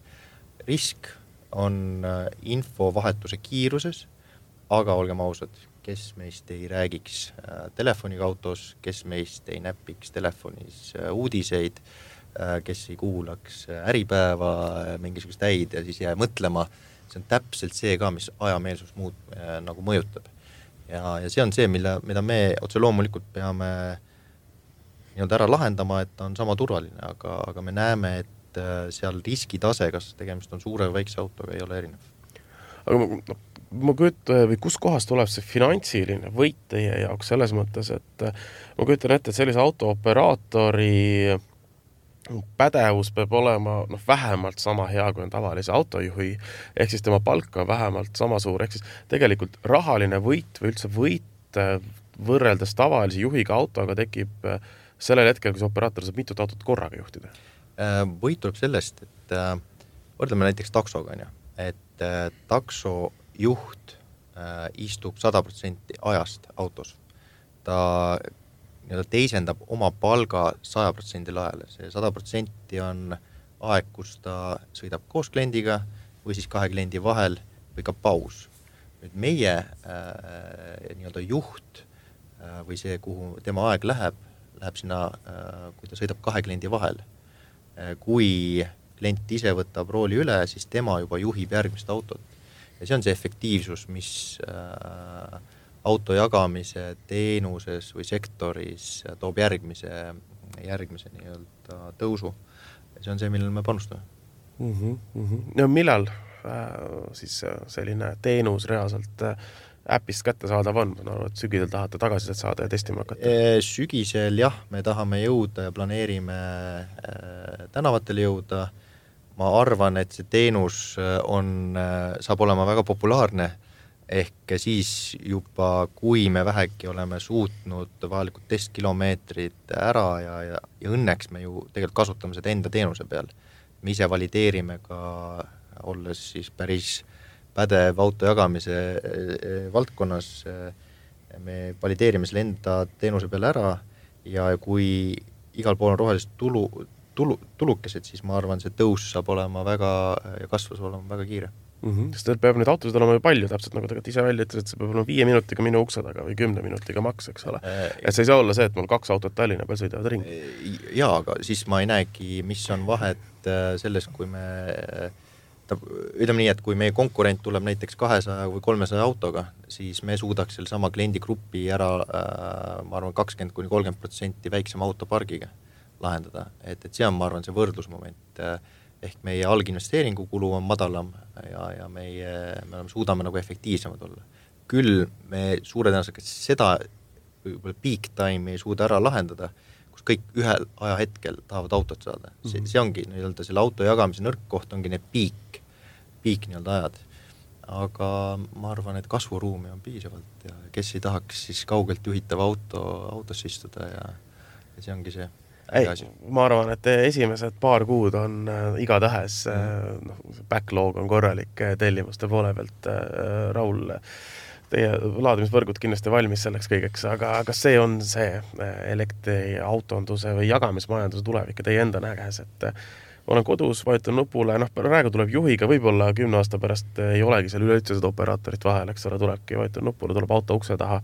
Risk on infovahetuse kiiruses, aga olgem ausad, kes meist ei räägiks telefoniga autos, kes meist ei näpiks telefonis uudiseid, kes ei kuulaks äripäeva, mingisugust häid ja siis jää mõtlema. See on täpselt see ka, mis ajameelsus nagu mõjutab. Ja see on see, mida me otse loomulikult peame ära lahendama, et ta on sama turvaline, aga me näeme, et seal riskitase, kas tegemist on suure või väikse autoga, ei ole erinev. Aga ma kujutan, või kus kohas tuleb see finantsiline võit teie jaoks selles mõttes, et ma kujutan ette, et sellise autooperaatori pädevus peab olema vähemalt sama hea, kui on tavalise autojuhi, ehk siis tema palk on vähemalt sama suur, ehk siis tegelikult rahaline võit või üldse võit võrreldes tavalise juhiga autoga tekib sellel hetkel, kui see operaator saab mitut autot korraga juhtida. Võit tuleb sellest, et võrdleme näiteks taksoga, et taksojuht istub 100% ajast autos. Ta teisendab oma palga 100% ajale. See 100% on aeg, kus ta sõidab koos kliendiga või siis 2 kliendi vahel või ka paus. Nüüd meie juht või see, kuhu tema aeg läheb sinna, kui ta sõidab 2 kliendi vahel. Kui klient ise võtab rooli üle, siis tema juba juhib järgmist autot. Ja see on see efektiivsus, mis auto jagamise teenuses või sektoris toob järgmise tõusu. Ja see on see, millele me panustame. Ja millal siis selline teenus reaalselt äpist kätte saadav on? Ma arvan, et sügisel tahate tagasiselt saada ja testima hakata. Sügisel jah, me tahame jõuda ja planeerime tänavatele jõuda. Ma arvan, et see teenus saab olema väga populaarne, ehk siis juba, kui me vähegi oleme suutnud vajalikud testkilomeetrid ära ja õnneks me ju tegelikult kasutame seda enda teenuse peal. Me ise valideerime ka, olles siis päris pädev auto jagamise valdkonnas, me valideerime selle enda teenuse peale ära ja kui igal pool on rohelised tulukesed, siis ma arvan, see tõus saab olema väga ja kasvus olema väga kiire. Sest teil peab neid autosid olema ju palju, täpselt nagu tegelikult ise välja ütles, et see peab olema 5 minutiga minu ukse taga või 10 minutiga maks, eks ole. Et see ei saa olla see, et mul 2 autot Tallinna peal sõidavad ringi. Jaa, aga siis ma ei näegi, mis on vahet selles, kui me ütleme nii, et kui meie konkurent tuleb näiteks 200 või 300 autoga, siis me suudaks selle sama kliendigrupi ära, ma arvan, 20-30% väiksema autopargiga lahendada. Et see on, ma arvan, see võrdlusmoment. Ehk meie alginvesteeringu kulu on madalam ja me suudame nagu efektiivsemad olla. Küll me suure tõenäoliselt seda peak time ei suuda ära lahendada, kus kõik ühel ajahetkel tahavad autot saada. See ongi selle auto jagamise nõrk koht ongi need peak ajad. Aga ma arvan, et kasvuruumi on piisavalt ja kes ei tahaks siis kaugelt juhitav autosse istuda ja see ongi see. Ei, ma arvan, et esimesed paar kuud on igatahes, backlog on korralik tellimuste poole pealt, Raul, teie laadimisvõrgud kindlasti valmis selleks kõigeks, aga kas see on see elektri autonduse või jagamismajanduse tulevik ja teie enda näges, et olen kodus, vajutan nupule, praegu tuleb juhiga, võib-olla 10 aasta pärast ei olegi seal üleüldse seda operaatorit vahel, eks ole, tulebki, vajutan nupule, tuleb auto ukse taha,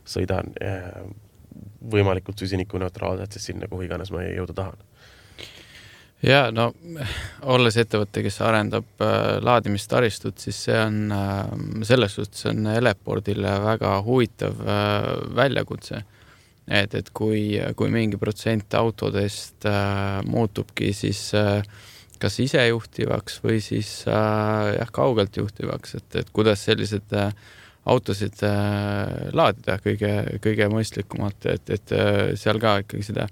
sõidan võimalikult süsinikuneutraalselt, siis sinna, kuhu iganes ma jõuda tahan. Ja, olles ettevõtte, kes arendab laadimistaristut, siis see on selles suhtes on Elepordile väga huvitav väljakutse. Et kui mingi protsent autodest muutubki siis kas isejuhtivaks või siis kaugelt juhtivaks, et kuidas sellised autosid laadida kõige mõistlikumalt, et seal ka ikkagi seda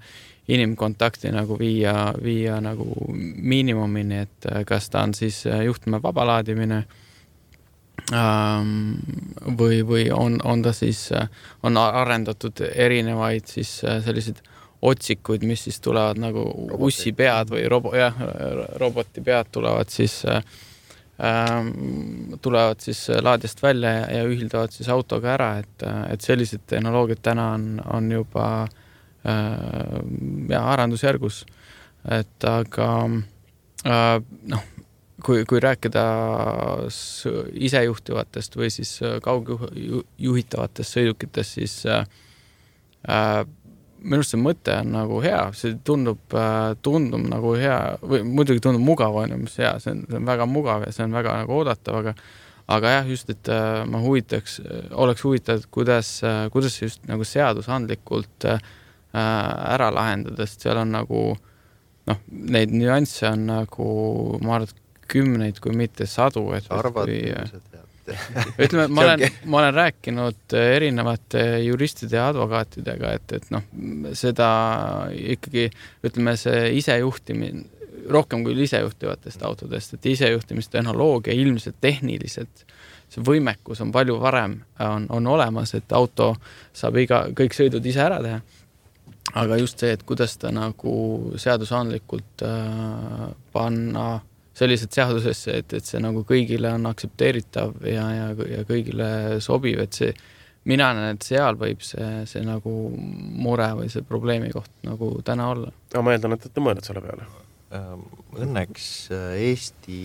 inimkontakti nagu viia nagu miinimumini, et kas ta on siis juhtme vaba laadimine või on ta siis, on arendatud erinevaid siis selliseid otsikuid, mis siis tulevad nagu ussipead või roboti pead tulevad siis laadijast välja ja ühildavad siis autoga ära, et sellised tehnoloogiad täna on juba arendusjärgus, et aga kui rääkida isejuhtivatest või siis kaugjuhitavatest sõidukitest, siis minu arust see mõte on nagu hea, see tundub nagu hea või muidugi tundub mugav, mis hea, see on väga mugav ja see on väga nagu oodatav, aga jah, just, et ma oleks huvitav, kuidas see just nagu seadusandlikult ära lahendada, sest seal on nagu neid nüansse on nagu, ma arvan, kümneid, kui mitte sadu. Ütleme, ma olen rääkinud erinevate juristide ja advokaatidega, et seda ikkagi, ütleme, see isejuhtimine, rohkem kui isejuhtivatest autodest, et isejuhtimistehnoloogia ilmselt tehniliselt, see võimekus on palju varem on olemas, et auto saab kõik sõidud ise ära teha. Aga just see, et kuidas ta nagu seadusandlikult panna sellised seadusesse, et see nagu kõigile on aktsepteeritav ja kõigile sobiv, et see, mina näen, et seal võib see nagu mure või see probleemi koht nagu täna olla. Ja ma eeldan, et te mõeled selle peale. Õnneks Eesti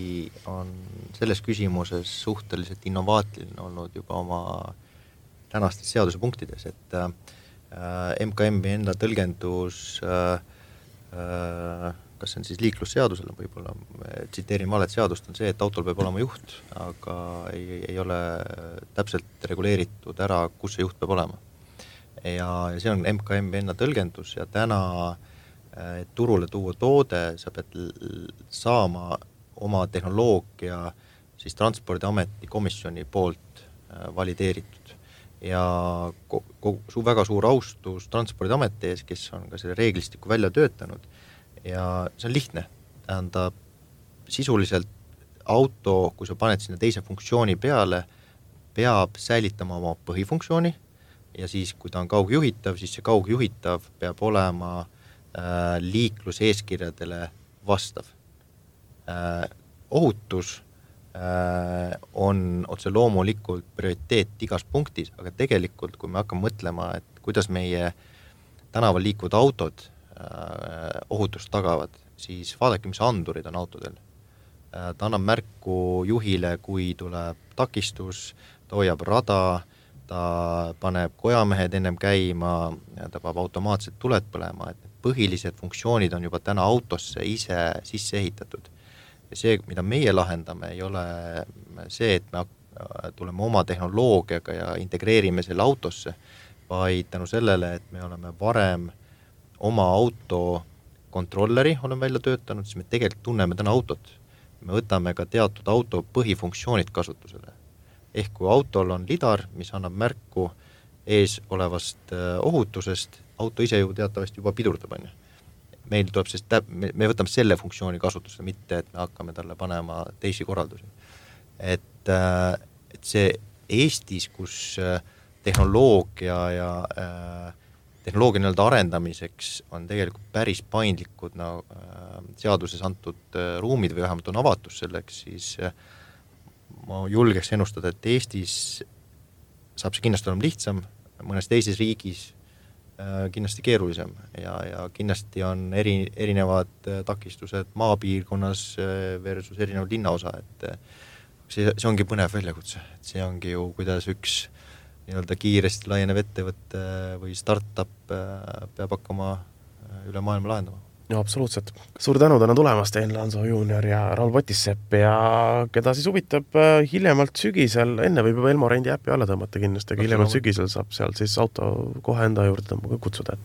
on selles küsimuses suhteliselt innovaatiline olnud juba oma tänastes seaduse punktides, et MKM-i enda tõlgendus kas see on siis liiklusseadusele, võib-olla tsiteerin valet seadust, on see, et autol peab olema juht, aga ei ole täpselt reguleeritud ära, kus see juht peab olema. Ja see on MKM-i enda tõlgendus ja täna turule tuua toode, sa pead saama oma tehnoloogia siis Transpordiameti komisjoni poolt valideeritud. Ja väga suur austus Transpordiameti ees, kes on ka selle reeglistiku välja töötanud. Ja see on lihtne, tähendab sisuliselt auto, kui sa paned sinna teise funktsiooni peale, peab säilitama oma põhifunktsiooni ja siis, kui ta on kaugjuhitav, siis see kaugjuhitav peab olema liikluseeskirjadele vastav. Ohutus on otse loomulikult prioriteet igas punktis, aga tegelikult, kui me hakkame mõtlema, et kuidas meie tänaval liikuvad autod ohutust tagavad, siis vaadake, mis andurid on autodel. Ta annab märku juhile, kui tuleb takistus, ta hoiab rada, ta paneb kojamehed ennem käima, ta peab automaatselt tuled põlema, et põhilised funktsioonid on juba täna autosse ise sisse ehitatud. Ja see, mida meie lahendame, ei ole see, et me tuleme oma tehnoloogiaga ja integreerime selle autosse, vaid tänu sellele, et me oleme varem oma auto kontrolleri olen välja töötanud, siis me tegelikult tunneme täna autot. Me võtame ka teatud auto põhifunktsioonid kasutusele. Ehk kui autol on lidar, mis annab märku ees olevast ohutusest, auto ise ju teatavasti juba pidurdab. Meil tuleb me võtame selle funktsiooni kasutusele, mitte et me hakkame talle panema teisi korraldusi. Et see Eestis, kus tehnoloogia ja tehnoloogia nii-öelda arendamiseks on tegelikult päris paindlikud seaduses antud ruumid või vähemalt on avatus selleks, siis ma julgeks ennustada, et Eestis saab see kindlasti olema lihtsam, mõnes teises riigis kindlasti keerulisem ja kindlasti on erinevad takistused maapiirkonnas versus erinev linnaosa, et see ongi põnev väljakutse, et see ongi ju, kuidas üks nii-öelda kiiresti laienev ettevõtte või startup peab hakkama üle maailma lahendama. Ja absoluutselt. Suur tänu täna tulemast, Enn Lanso Junior ja Raul Potissepp ja keda siis huvitab hiljemalt sügisel, enne võib juba Elmo Rendi äppi alla tõmmata kindlasti, aga hiljemalt sügisel saab seal siis auto kohe enda juurde kutsuda.